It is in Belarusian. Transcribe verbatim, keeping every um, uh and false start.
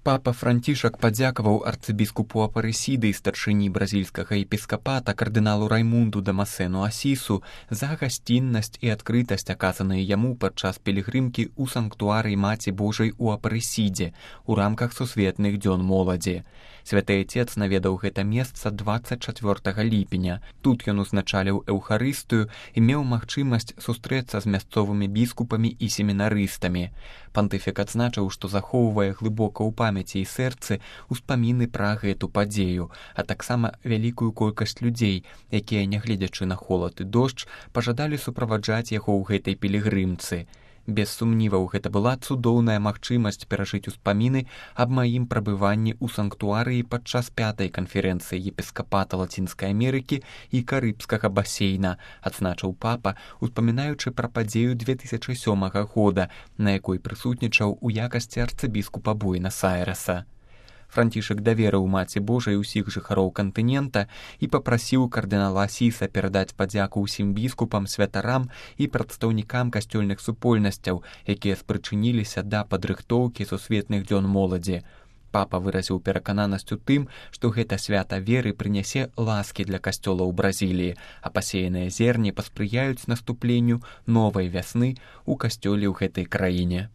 Папа Францішак падзякаваў арцыбіскупу Апарысіды і старшыні бразільскага епіскапата кардыналу Раймунду Дамасену Асісу за гасціннасць і адкрытасць, аказаныя яму падчас пілігрымкі ў санктуарый Маці Божай у Апарысідзе у рамках сусветных дзён моладзі. Святы Отец наведаў гэта месца дваццаць чацвёртага ліпеня. Тут ён узначаліў эўхарыстыю і меў магчымасць сустрэцца з мясцовымі біскупамі і семінарыстамі. Пантыфік адзначыў, што захоўвае глыбока ў памяці і сэрцы ўспаміны пра гэту падзею, а таксама вялікую колькасць людзей, якія, нягледзячы на холад і дождж, пажадалі суправаджаць яго ў гэтай пілігрымцы. Без сумніваў, гэта была цудоўная магчымасць перажыць успаміны аб маім прабыванні ў санктуарыі падчас пятай канферэнцыі епіскапата Лацінскай Амерыкі і Карыбскага басейна, адзначыў папа, успамінаючы пра падзею две тысячы сёмага года, на якой прысутнічаў у якасці арцыбіскупа Буэнас-Айрэса. Францішак даверыў Маці Божай усіх жыхароў кантынента і папрасіў кардынала Асіса перадаць падзяку ўсім біскупам, святарам і прадстаўнікам касцёльных супольнасцяў, якія спрычыніліся да падрыхтоўкі сусветных дзён моладзі. Папа выразіў перакананасць у тым, што гэта свята веры прынясе ласкі для касцёла ў Бразіліі, а пасеяныя зерні паспрыяюць наступленню новай вясны ў касцёле ў гэтай краіне.